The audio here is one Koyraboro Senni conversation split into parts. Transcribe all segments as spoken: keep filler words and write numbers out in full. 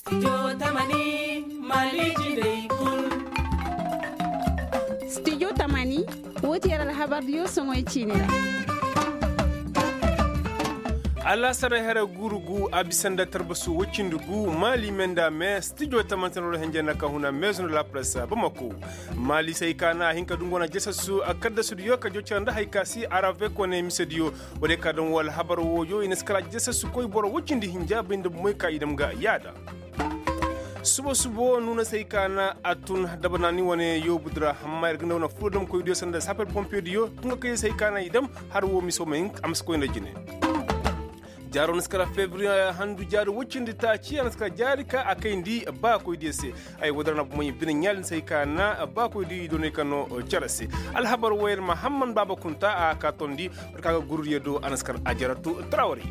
Studio tamani, wo ti yer alhabar diyo soŋoy ciini ra. Alaasaray hara guuru gu a bisa nda tarbasu woy cindi gu maali me nda me studio tamani tana wala henjey nda ka huna meezo nda la press bamako. Maali se hay ka na a hin ka dungu wane jesesu a kaddasudiyo ka joca nda hay ka si aravek wane misediyo. Wala ka daŋ wo alhabar wooyo i na si kala jesesu koy boro woy cindi hinja bay nda bumoy ka i dam ga yaada. Suba suba wo nuuna se hay ka na a tun dabanaani wane yoobu dira amma yer ga nda wane furo damkoydiyo sanda sapper pompier diyo tun ga kay se hay ka na i dam har wo miso ma hin a ma si koy nda jine. Jaaro na si kala febriye handu jaari woy cindi taaci a na si kala jaari ka a kayndi baakoydiyo se. Ay woy dira na bumay bine ɲaali na si hay ka na baakoydiyo i doonay ka no cere se. Alhabar wo yer mahamman baaba kunta a ka tondi war ka ga gurudiyo do a na si kala a jaratu trawari.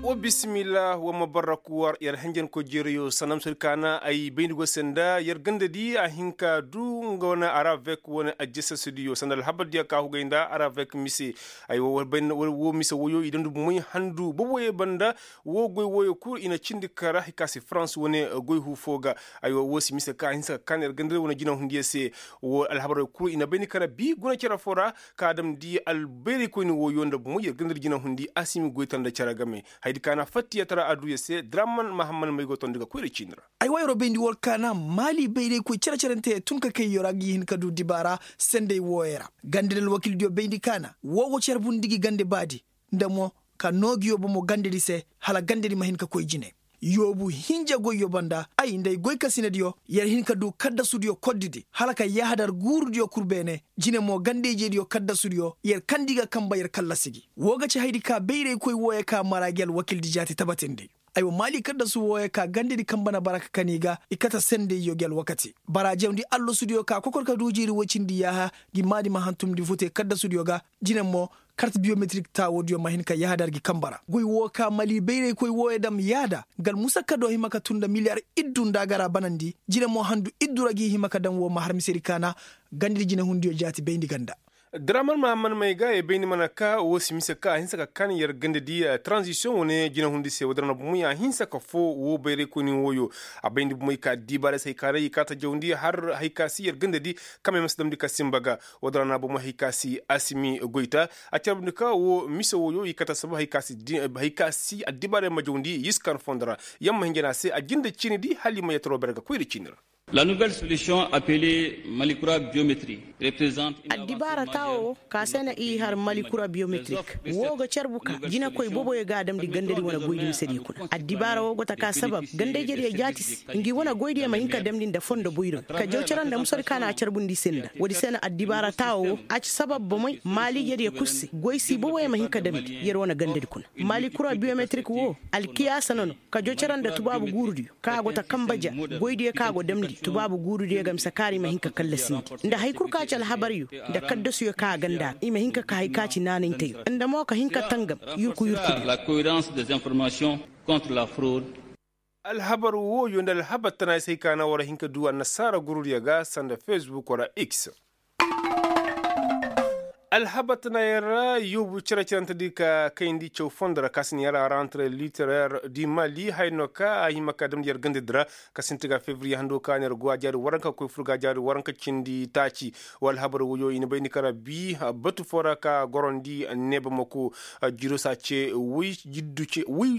Wa bisimillah wa ma barraku war yer henjenkoy jeerayo sanda misedi ka na ay bayndi go se nda yer gandadi a hin ka du nga wane aravek wane ajjasasidiyo sanda alhabardiyo ka hugay nda aravek mise. Ay wo mise woyo i damndi bumay handu boboyo banda. Wo goy woyo kul i na cindi kara hay ka si farans wane goy hu fo ga. Ay wo wo si mise ka a hinsa ka kan yer gandadi wane jinahundiyo se. Wo alhabarey kul i na bayndi kara bi guna cere fo ra ka damndi albayraykoyni woyo nda bumay yer gandadi jinahundi a si mi goy tanda cere game. Hayadi ka na fattiya tara aduya se draman mahamman may go tondi ga koyra ciini ra. Ay wo yeroo bayndi war ka na maali bayraykoy cere-cerante tun ka kay yeroo a ga hin ka du dibaara senday wooyo ra. Gandadi alwakildiyo bayndi ka na woo go carbundi gi gande baadi nda mo ka noo gi yoobo mo gandadi se hala gandadi ma hin ka koy jine. Yoobu hinja goyyo banda ay nda ay goykasinadiyo yer hin ka du kaddasudiyo koddidi hala ka yahadar guurudiyo kul beene. Jine mo ganda-ijediyo kaddasudiyo yer kandi ga kamba yer kallasi gi. Woo ga ci hayadi ka bayraykoy wooyo ka mara gi alwakildi jaati tabatindi. Aywa maali kaddasu wooyo ka gandadi kamba na bara ka kan i ga i kate sendayyo gi alwakati. Bara jawndi allasudiyo ka kokor ka du jiiri woy cindi yaaha gi maadi ma hantumndi vote kaddasudiyo ga. Jine mo kart biyometrik taawoodiyo ma hin ka yahadar gi kamba ra goy woo ka maali bayraykoy wooyo dam yaada. Nga almusakka do hima ka tun nda miliyar iddu nda a ga ra banandi. Jine mo handu iddu ra gi hima ka dam woo ma har misedi ka na gandadi jinehundiyo jaati bayndi ganda. Draman mahamman may ga ay bayndi mana ka woo si mise ka a hinsa ka kan yer gandadi. Transisiyoŋ wane jinahundi se woo dara na bumay a hinsa ka foo woo bayraykoyni wooyo. A bayndi bumay ka diibaara se hay ka ra i kaata jawndi har hay ka si yer gandadi. Kamey ma si damndi ka sinba ga. Woo dara na bumay hay ka si a si mi goyta. A carbundi ka woo mise wooyo i kaata saba hay ka si addibaarey ma jawndi yiskan fondo ra. Yer ma hinja na a se a jinde ciinidi hala i ma yattaroo ber ga koyra ciini ra. La nouvelle solution appelée malikura biométrie représente une avancée majeure. Addibaara taawo woo ka se na i har malikura biométrik woo ga carbu ka jinekoy boboyo ga a damndi gandadi wane goydi misedi kuna addibaara woo go ta ka sabab ganda-ijediyo jaati se. Ngi wane goydiyo ma hin ka damndi nda fondo boyro ka jaw cere nda musadi ka na a carbundi i se nda woodi se na addibaara taawo woo a ci sabab bomey maali-ijediyo kul se goy si boboyo ma hin ka damndi yer wane gandadi kuna. Malikura biométrik woo alkiyaasa na no ka jaw cere nda tubaabu guurudiyo ka go ta kamba ja goydiyo ka go damndi tubaabu guurudiyo ga mise kaari ma hin ka kallasindi nda hari kul ka ci alhabaryo nda kaddasuyo ka a ganda ra i ma hin ka ka hari ka ci naanayteyo nda mo ka hin ka tangam yurku yurku. Alhabar wooyo nda alhabar tana ay se hay ka na war hin ka du annasaara gurudiyo ga sanda facebook wala x. Alhabar tana yaŋ ra yoobu cere-cerante di ka kayndi caw fondo ra ka si na yar a rentre literaire di mali haya no ka a hima ka damndi yar gandadi ra. Ka sinti ga fevriye hando ka na yar go a jaari waranka koy fur ga a jaari waranka cindi taaci. Wa alhabar wooyo i na bayndi ka ra bi batu fo ra ka gorandi neeba mako. Jiiro se a ce woy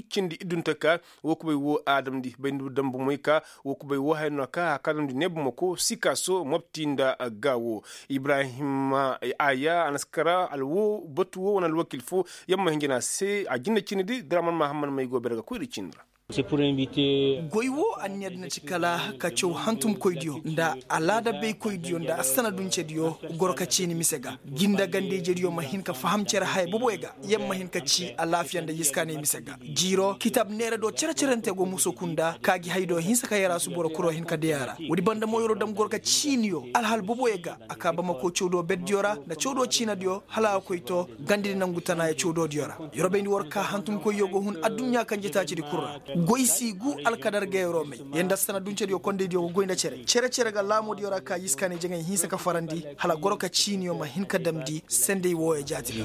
cindi iddunte ka woo kubay woo a damndi bayndi dambu moy ka woo kubay woo haya no ka a ka damndi neeba mako sikaaso mobti nda gaawo. Ibrahim aya a na si kara alwo batu woo wane alwakil fo. Yer ma hinja na a se a jinne ciinidi draman mahamman may go bere ga koyra ciini ra. Goy woo anniya di na ci kala ka caw hantumkoydiyo nda alaada baykoydiyo nda assanaduncediyo goro ka ciini mise ga. Jinda ganda-ijediyo ma hin ka faham cere haya boboyo ga. Yer ma hin ka ci alaafiya nda yiskaanay mise ga. Jiiro kitaab neera do cere-cerante go muso kunda ka gi hay do hinsa ka yar a si boro kuro hin ka day a ra. Woodi banda mo yeroo dam goro ka ciiniyo alhal boboyo ga a ka bamako cawdo berdiyo ra nda cawdo ciinadiyo hala a koy to gandadi nangu tanaaya cawdoodiyo ra. Yeroo bayndi war ka hantumkoyyo go hun adduɲɲa kanjetaacidi kul ra. Goy si gu alkadar ga yeroo may. Yer nda assanaduncediyo kondaydiyo go goy nda cere cere-cere ga laamoodiyo ra ka yiskaanay jaŋay hinsa ka farandi hala goro ka ciiniyo ma hin ka damndi senday wooyo jaati ga.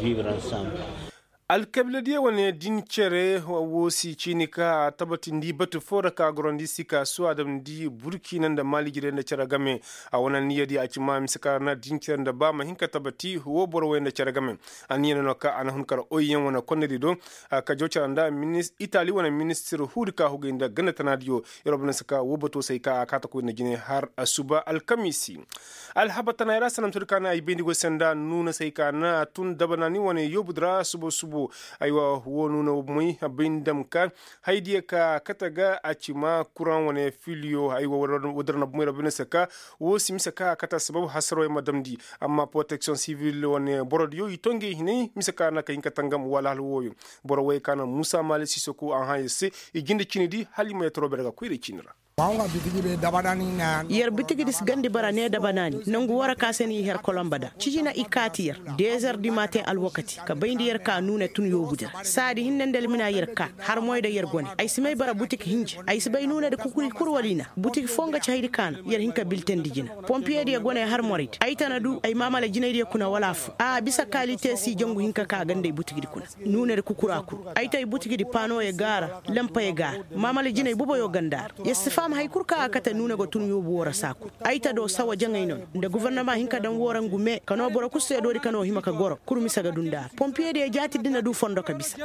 Alkabiila diyo wane din cere wo si ciini ka a tabatindi batu foo ra ka gorandi sika su a damndi burkina nda maali jirey nda cere game. A wane anniya di a ci ma mise ka ra na din cere nda ba ma hin ka tabati wo boro wey nda cere game. Anniya no ka a na hun kar oy yaŋ wane konnadi do. Ka jaw cere nda itali wane ministir huudi ka hugay nda ganda tana diyo. Yer wo banda si ka wo bato se ay ka a kaata koy nda jine har asuba alkamiisi. Alhabar tana ay ra sanam sodi ka na ay bayndi goy se nda nuuna se ay ka na tun dabanaani wane yoobu di ra subo subo. Aywa wo nuuna wo moy bayndi dam ka haydiya ka kate ga a ci ma kuraŋ wane filiyo aywa. Wo dira na bomey ra bayndi se ka wo si mise ka a kate asabab hasaroo yaŋ ma damndi. Amma poroteksiyoŋ sivil wane borodiyo i to ngey hinay mise ka na ka hin ka tangam wala hala wooyo. Boro wey ka na muusa maali siisoko a hã yer se i jinde cini di hala i ma yetaro bere ga koyra cini ra. Yer bitigi di si gandi bara ne dabanaani nangu woo ra ka se no i her kolomba da cijina i kaati yer. Dezer di maaten alwakati ka bayndi yer ka nuune tun yoobu di ra saadi hinne nda almina yer ka har moy da yer gone ay si may bara butik hinja. Ay si bay nuune di kukuri kul wala i na butik foo nga ci haydi ka na yer hin ka biltandi jina. Pompiye diyo gone har morey di ay tana du ay maamala jinay diyo kuna wala affoo a bisa kaalite si jangu hinka ka a ganda ay butik di kuna. Nuunadi kukura kul ay tay butigi di paanoyey gaara lampayey gaara. Maamala jinay boboyoo ganda a ra. Yer si faham hay kul kaŋ a kate nuune go tun yoobu woo ra saa kul. Ay ta do sawa jaŋay nono nda gofornama hin ka daŋ woo ra ngu mee ka noo boro kul seedoodi ka noo hima ka goro kul mise ga duu nda a ra pompiyediyo jaati di na duu fondo ka bisa.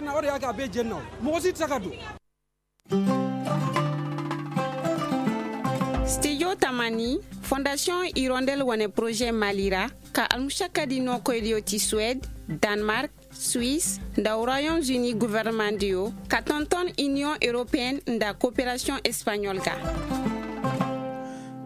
Stijo tamani fondasiyoŋ irondel wane poroze mali ra ka almušakkadi nookoydiyo ti suwed, danmark, suis, nda royaume-uni gofornamadiyo ka tonton iniyoŋ europeyen nda koperasiyoŋ espaɲol ga.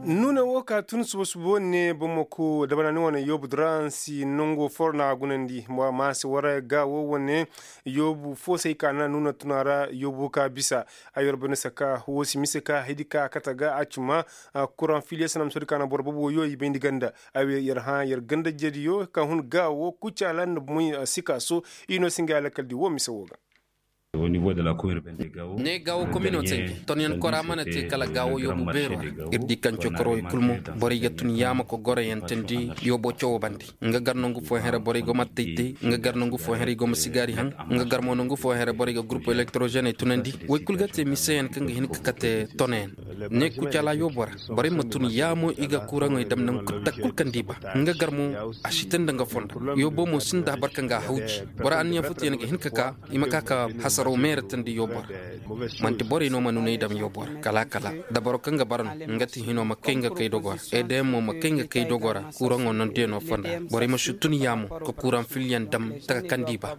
Nuune woo ka tun suba suba wane bamako dabanaani wane yoobu diraŋ si nongo foro na a gunandi. Maase waraya ga woo wane yoobu foo se ay ka na nuuna tuna ra yoobu ka bisa. Ay war bane saka woo si mise ka haydi ka kate ga a cima. Kuraŋ filiye sanam sodi ka na boro bobo yoo i bayndi ganda. Ay war yer hã yer ganda jediyo ka hun ga woo kucaala nda moy sika so. I no si nga alakal di woo mise woo ga. Ne gaawo komino se tonyan kora mana te kala gaawo yoobu beero ra. Ir di kaŋ cokoro i kul mo borey ga tun yaama ka goroyantandi yoobo cawo bande. Nga gar nangu fooyaŋ ra borey go ma taytay nga gar nangu fooyaŋ ra i go ma sigaari haŋ. Nga gar mo nangu fooyaŋ ra borey ga gurupu elektrozeney tunandi. Woy kul ga te miseyaŋ kaŋ ga hin ka kate tonayaŋ. Ne kucala yoobo ra borey ma tun yaamo i ga kuraŋey dam nangu kul kaŋ di ba. Nga gar mo a si te nda nga fondo. Yoobo mo sinda habar kaŋ ga a hawji. Boro anniya futuyaŋ ga hin ka ka i ma ka ka hasaro meeratandi yoobo ra. Manti borey no ma nuney dam yoobo ra kala kala. Da boro kaŋ ga bara no nga ti hino ma kay nga kay dogo ra. Edeyaŋ mo ma kay nga kay dogo ra kuraŋo nondiyaŋo fonda. Borey ma si tun yaamo ka kuraŋ filiyaŋ dam taka kaŋ di ba.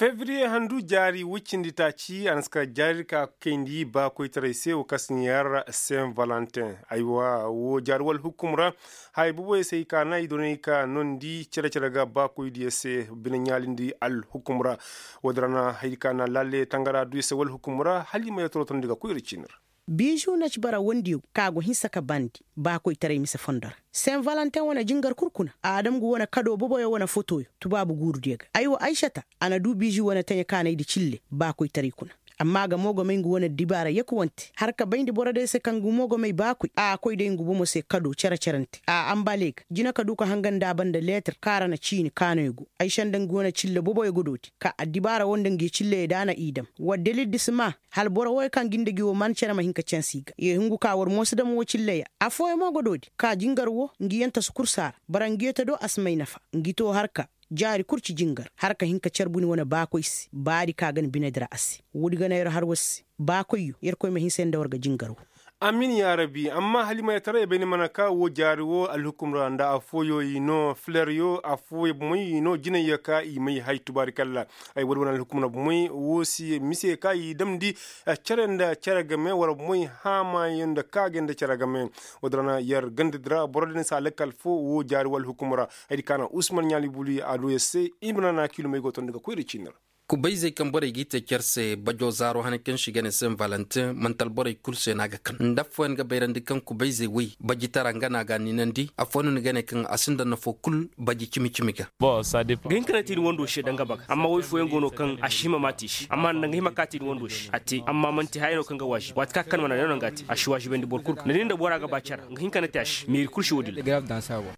Fevriye handu jaari woy cindi taaci a na si ka jaari ka kayndi baakoytaray se wo kaŋ si ɲaar sen valentin. Aywa wo jaari wala hukum ra. Haya boboyaŋ se i ka na i doonay ka noondi cere cere ga baakoydiyaŋ se bine ɲaalindi alhukum ra. Wo- din ra na haya di ka na laale tangara du i se wala hukum ra hala i ma yee torotondi ga koy iri ciini ra. Biizu na ci bara wondiyo ka go hinsa ka bandi baakoytaray mise fondo ra. Sen valentin wane jingar kul kuna a dam ngu wane kado boboyo wane fotoyo tubaabu guurudiyo ga ay wo aysata. A na duu biizu wane taɲa kaanaydi cille baakoytaray kuna. Amma a ga moogomay ngu wane dibaara yakuwante har ka bayndi borodiyo se kaŋ ngu moogomay baakoy a koy day ngu bomo se kado cere cerante a ambale ga jina ka duu ka hanga nda a banda leetir kaŋ a ra na ciini kaanoyo go. Aysa nda ngu wane cille boboyo ga dooti ka addibaara wo nda ngi cilleyey da a na i dam. War dalil di si maa hala boro wooyo kaŋ ga nda gi wo maan cere ma hin ka canse i ga ye hungu ka war moosi dam wo cilleya. Affooyaŋ mo ga doodi ka jingar wo ngi yaŋ tasu kul si a ra. Bara ngi yee ta do a si may nafa ngi too har ka jaari kul ci jingar har ka hin ka care buni wane baakoy se baadi ka ga na binedi ra a se. Woodi ga na yer har war se baakoyyo yerkoy ma hinsa yer nda war ga jingar wo. Amin yaarabi amma hala i ma yee taray bay ni mana ka wo jaari wo alhukum ra nda affooyo i no fileryo affooyo bomey i no jinayyo ka i may hay tubaarikalla. Ay woodi wane alhukum ra bomey wo si mise ka i damndi care nda care game wala bomey haamayaŋ nda kaagay nda care game. Woodi ra na yer ganda di ra boro din si a lakkal foo wo jaari wo alhukum ra. Haydi ka na usman ɲaali buli a du yer se i ma na na kiilumey go tondi ga koy nda ciini ra. Kubayzey kaŋ borey g'i te care se bajo zaaro hane kaŋ se i ga ne sen valentin manti alborey kulu se no a ga kan nda affooyaŋ ga bayrandi kaŋ kubayzey woy bajitara nga no a ga a niinandi affooyaŋ no ni ga ne kaŋ a sinda nafo kulu baji cimi-cimi ga. Ga hin ka ne te i ni wando se danga baga amma woy fooyaŋ go no kaŋ a si hima ma te i se amma nda nga hima ka te i ni wando se a te amma manti haya no kaŋ ga waazibi waati kaŋ a ga kan mana ne no nga a te a si waazibandi boro kulu ga ni di nda bora ga ba care nga hin ka ne te a se meeri kulu si woodin ra.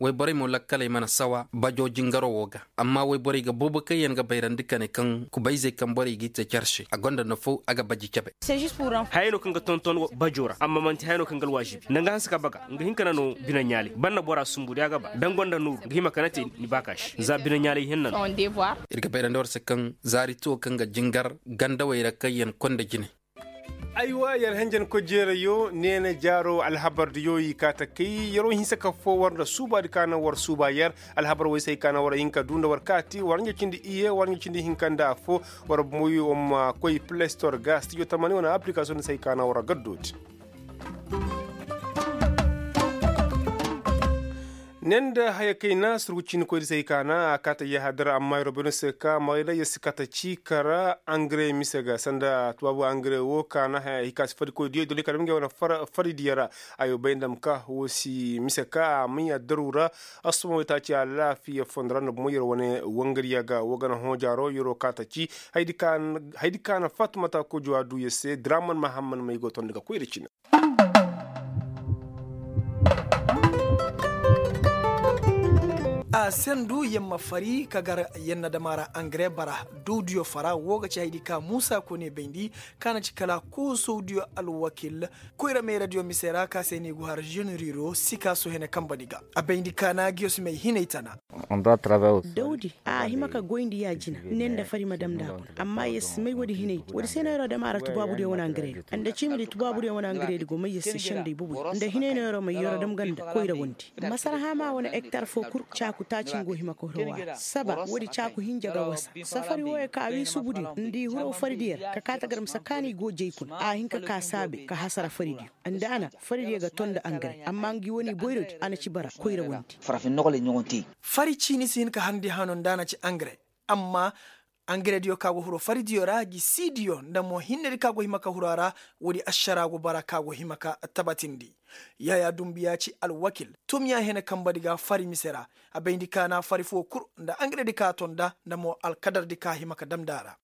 Wayborey mo lakkaley mana sawa bajo jingaro wo ga. Amma wayborey ga boobo kaŋ yaŋ ga bayrandi kane kaŋ kubayzey kaŋ borey g'i te care se a gonda nafo a ga baji cabe. Hayey no kaŋ ga tonton bajo ra amma manti hayey no kaŋ ga alwaazibi nda nga hanse ka baga nga hin ka na no bine ɲaalay banda bora sumbu day a ga ba da nga gonda nooru nga hima ka na te ni baaka se za bine ɲaalay hinna no. Ir ga bayrandi war se kaŋ zaari tuwo kaŋ ga jingar gandawey ra kaŋ yaŋ konda jine. Aywa yer henjenkoy jeerayo neene jaaro alhabardiyo i kaa ta kay yeroo hinsa ka foo war nda suubaadi ka naŋ war suuba yer. Alhabar woy se ay kaa naŋ war hin ka duu nda war kaati war ɲa cindi iyye war ɲa cindi hinka nda affoo. War moy war ma koy play store ga stijo tamani wane application se ay kaa naŋ war gaddooti. Ne nda haya kayna surgu ciinikoydi se ay kaa naŋ a kaa ta yahadar amma yeroo beene se ka marayda yer si kaa ta cii kara angare mise ga sanda tubaabu angare woo ka naŋ haya hika si fadikoydiyo dole ka dam ngey wane faridiyo ra. Ayo bay nda ma ka woo si mise ka a may addaru ra. Assuma waytaaci alaafiya fondo ra nda bomo yer wane wangariya ga woo ga naŋ hoojaaro yeroo kaa ta cii. Haydi ka na fatumata kojo a duu yer se draman mahamman may go tondi ga koy nda cine. A sendu yer ma fari ka gar yer na dam a ra angare bara dowdiyo fara woo ga ci haydi ka muusa kone bayndi. Ka na ci kala koosowdiyo alwakil koyra meeradiyo mise ra ka se no i go har ženeriro sikaaso hene kambadi ga. A bayndi ka na giyos may hinay tana. Dawdi a hima ka goyndi yaajina ne nda fari ma dam nda a kuna amma yer si may woodi hinay di woodi se no yeroo dam a ra tubaabudiyo wane angaredi. Nda ciimidi tubaabudiyo wane angaredi go may yer se sendey bobodi nda hinay no yeroo may yeroo dam ganda koyra wondi. Masarhaama wane ektar foo kul caaku taaci nga go hima ka huro waara saba woodi caaku hinja ga wasa. Safari wooyo ka wii subudiyo nda i huro faridiyo ra ka kaa ta gar mise kaani go jay kuna a hin ka kaa saabe ka hasara faridiyo. Nda a na faridiyo ga ton nda angare amma ngi wane boyrodi a na ci bara koyra wondi. Fari ciini si hin ka harndi hano nda a na ci angare. Amma angarediyo ka go hiro faridiyo ra gi siidiyo nda mo hinnedi ka go hima ka hiro a ra. Woodi ašara go bara ka go hima ka tabatindi. Yaayaa dumbiya ci alwakil tumya hene kambadi ga fari mise ra. A bayndi ka na fari foo kul nda angaredi ka ton nda nda mo alkadardi ka hima ka damndi a ra.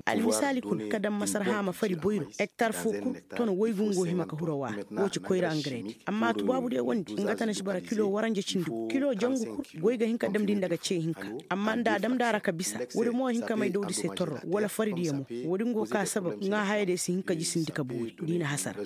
Almisaali kul ka daŋ masarhaama fari boyro ektar foo kul ton waygu nga go hima ka hiro waara. Woo ci koyra angaredi amma tubaabudiyo wondi nga tana si bara kilo waranja cindi kilo jangu kul goy ga hin ka damndi nda ga cee hinka. Amma nda a damndi a ra ka bisa woodi mo hin ka may dawdi se torro wala faridiyo mo. Woodi nga go ka sabab ŋaa hayadiyo si hin ka jisindi ka boori da i na hasara.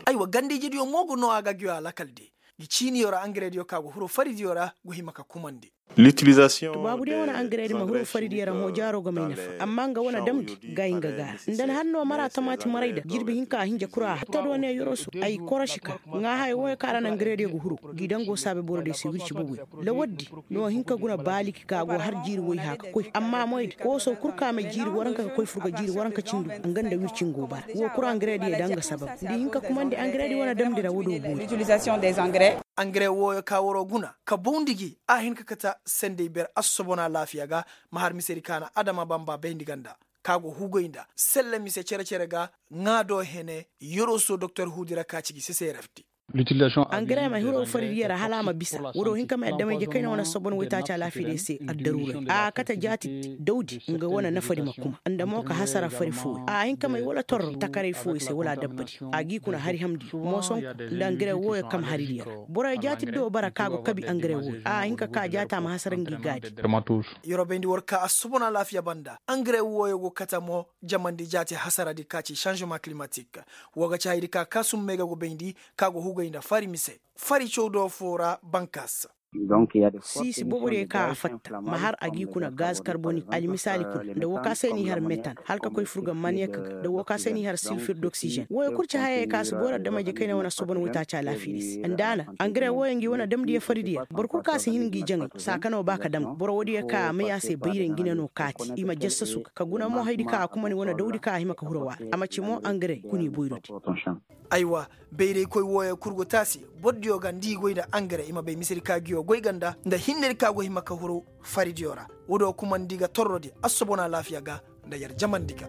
Aywa gandiijidiyo mo ga noo a ga giyo alakaldiyo. Ngi ciiniyo ra angarediyo ka go hiro faridiyo ra go hima ka kumandi. Tubaabudiyo wane angaredi ma hiro faridiyo ra hõ jaaro ga may nafa amma nga wane damndi ga ay nga gaara nda ni har no mara tamaati maray da jirbi hinka a hinja kura a hatta do ne yoroso ay korosi ka ŋaa haya wooyo kaŋ a ra na angarediyo ga hiro. Gi dango saabe borodiyo se wirci boboyo. Lawaddi no hin ka guna baaliki ka go har jiiri woy hã ka koy amma moydi kooso kul ka may jiiri waranka ka koy furga jiiri waranka cindi nga nda wirci nga go bara woo kul angarediyo da nga sabab nda i hin ka kumandi angaredi wane damndi ra woodoo boori. Angare wooyo ka waroo guna ka bawndi gi a hin ka kate sendey ber assobon alaafiya ga. Ma har misedi ka na adama bamba bayndi ganda ka go huugay nda selle mise cere-cere ga. Ŋaa do hene yoroso doktor huudi ra ka ci gi seserefti. Angare ma hiro faridiyo ra hala a ma bisa woodoo hin ka may adamay je kayna wane assobon waytaaci alaafiya day se addaruuray a kate jaati dawdi nga wane nafadi ma kuma nda mo ka hasara fari fooyo a hin ka may wala torro takaray fooyo se wala adabbadi. A g'i kuna hari hamndi moosonku nda angare wooyo kam haridiyo ra boroyo jaati do bara ka go kabi angare wooyo a hin ka ka jaata ma hasara ngi gaadi. Yorobayndi war ka assobon alaafiya banda angare wooyo go kate mo jamandi jaati hasaradi ka ci sanzema kilimatik. Woo ga ci hayadi ka ka summey ga go bayndi ka go hugay nda fari mise fari cawdo foo ra bankas. Siisi boobodiyo ka a fatta ma har a g'i kuna gaz karbonik almisaali kul nda woo ka se n'i har metan hala ka koy furga maniyek ga nda woo ka se n'i har silfir doksijen wooyo kul ci hayey ka si boori adamay je kayna wane assobon waytaaci alaafiya day se nda a na angare wooyo ngi wane damdiyo faridiyo ra boro kul ka si hin ngi jaŋay saaka no ba ka dam ga boro woodiyo ka a may a se bayray ngi ne no kaati i ma jassasu ga ka guna mo hayadi ka a kumandi wane dawdi ka a hima ka huro waara a ma ci mo angare kuna i boyrodi. Aywa, bayraykoy wooyo kul go te a se. Bordiyo ga nda i goy nda angare i ma bay misedi ka ngiyo goy ga nda nda hinnedi ka go hima ka huru faridiyo ra. Woodiyo kumandi ga torrodi assobona alaafiya ga nda yer jamandi ga.